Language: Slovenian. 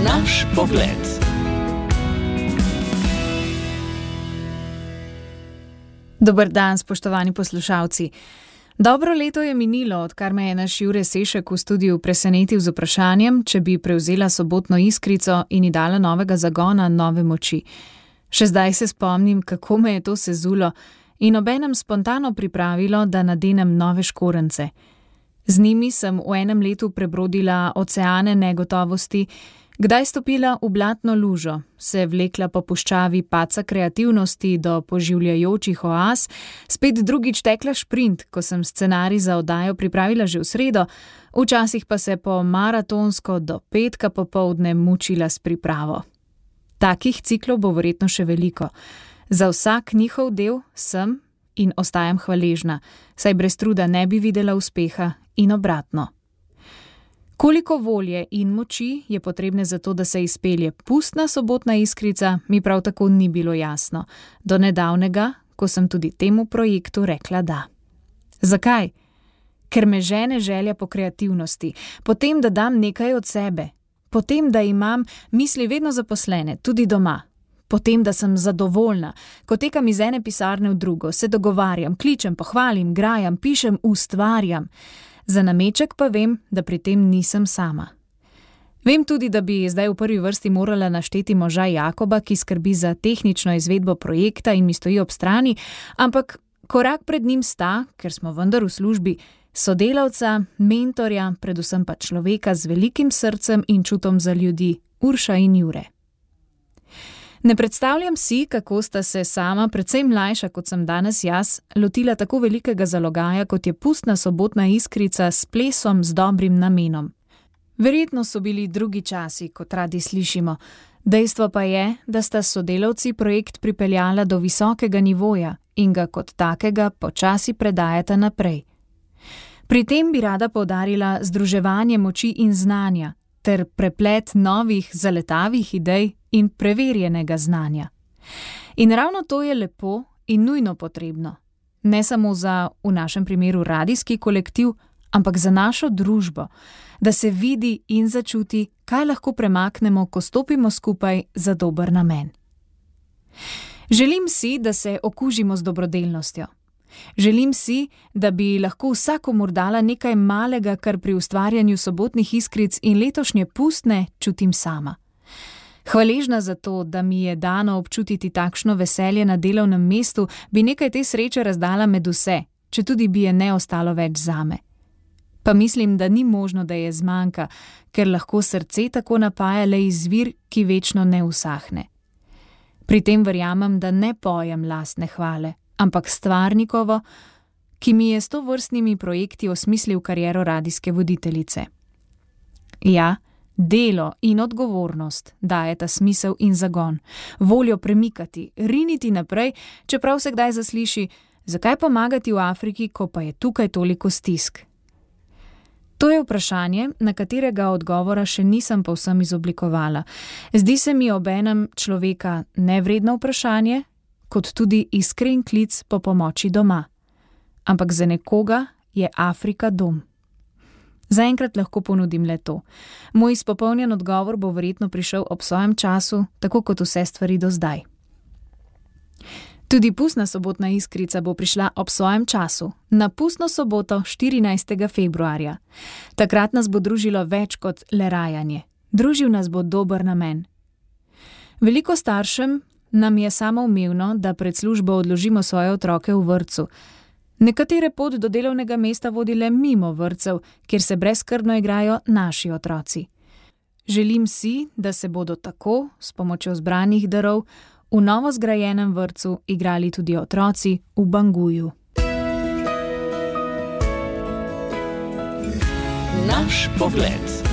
Naš pogled. Dober dan, spoštovani poslušalci. Dobro leto je minilo, odkar me je naš Jure Sešek v studiu presenetil z vprašanjem, če bi prevzela sobotno iskrico in ji dala novega zagona, nove moči. Še zdaj se spomnim, kako me je to sezulo in obenem spontano pripravilo, da nadenem nove škorence. Z njimi sem v enem letu prebrodila oceane negotovosti, kdaj stopila v blatno lužo, se vlekla po puščavi padca kreativnosti do poživljajočih oaz, spet drugič tekla šprint, ko sem scenarij za oddajo pripravila že v sredo, včasih pa se po maratonsko do petka popoldne mučila s pripravo. Takih ciklov bo verjetno še veliko. Za vsak njihov del sem in ostajam hvaležna, saj brez truda ne bi videla uspeha in obratno. Koliko volje in moči je potrebne za to, da se izpelje pustna sobotna iskrica, mi prav tako ni bilo jasno. Do nedavnega, ko sem tudi temu projektu rekla da. Zakaj? Ker me žene želja po kreativnosti, potem, da dam nekaj od sebe, potem, da imam misli vedno zaposlene, tudi doma, potem, da sem zadovoljna, ko tekam iz ene pisarne v drugo, se dogovarjam, kličem, pohvalim, grajam, pišem, ustvarjam. Za nameček pa vem, da pri tem nisem sama. Vem tudi, da bi zdaj v prvi vrsti morala našteti moža Jakoba, ki skrbi za tehnično izvedbo projekta in mi stoji ob strani, ampak korak pred njim sta, ker smo vendar v službi, sodelavca, mentorja, predvsem pa človeka z velikim srcem in čutom za ljudi, Urša in Jure. Ne predstavljam si, kako sta se sama, precej mlajša kot sem danes jaz, lotila tako velikega zalogaja, kot je pustna sobotna iskrica s plesom z dobrim namenom. Verjetno so bili drugi časi, kot radi slišimo. Dejstvo pa je, da sta sodelavci projekt pripeljala do visokega nivoja in ga kot takega počasi predajata naprej. Pri tem bi rada poudarila združevanje moči in znanja ter preplet novih zaletavih idej in preverjenega znanja. In ravno to je lepo in nujno potrebno. Ne samo za, v našem primeru, radijski kolektiv, ampak za našo družbo, da se vidi in začuti, kaj lahko premaknemo, ko stopimo skupaj za dober namen. Želim si, da se okužimo z dobrodelnostjo. Želim si, da bi lahko vsakomur dala nekaj malega, kar pri ustvarjanju sobotnih iskric in letošnje pustne čutim sama. Hvaležna za to, da mi je dano občutiti takšno veselje na delovnem mestu, bi nekaj te sreče razdala med vse, četudi bi je ne ostalo več zame. Pa mislim, da ni možno, da je zmanjka, ker lahko srce tako napaja le izvir, ki večno ne usahne. Pri tem verjamem, da ne pojem lastne hvale, ampak stvarnikovo, ki mi je s tovrstnimi projekti osmislil kariero radijske voditeljice. Ja, delo in odgovornost dajeta smisel in zagon, voljo premikati, riniti naprej, čeprav se kdaj zasliši, zakaj pomagati v Afriki, ko pa je tukaj toliko stisk. To je vprašanje, na katerega odgovora še nisem povsem izoblikovala. Zdi se mi obenem človeka nevredno vprašanje, kot tudi iskren klic po pomoči doma. Ampak za nekoga je Afrika dom. Zaenkrat lahko ponudim le to. Moj izpopolnjen odgovor bo verjetno prišel ob svojem času, tako kot vse stvari do zdaj. Tudi pustna sobotna iskrica bo prišla ob svojem času, na pustno soboto 14. februarja. Takrat nas bo družilo več kot le rajanje. Družil nas bo dober namen. Veliko staršem nam je samoumevno, da pred službo odložimo svoje otroke v vrtcu. Nekatere pot do delovnega mesta vodi le mimo vrtcev, kjer se brezskrbno igrajo naši otroci. Želim si, da se bodo tako, s pomočjo zbranih darov, v novo zgrajenem vrtcu igrali tudi otroci v Banguju. Naš pogled.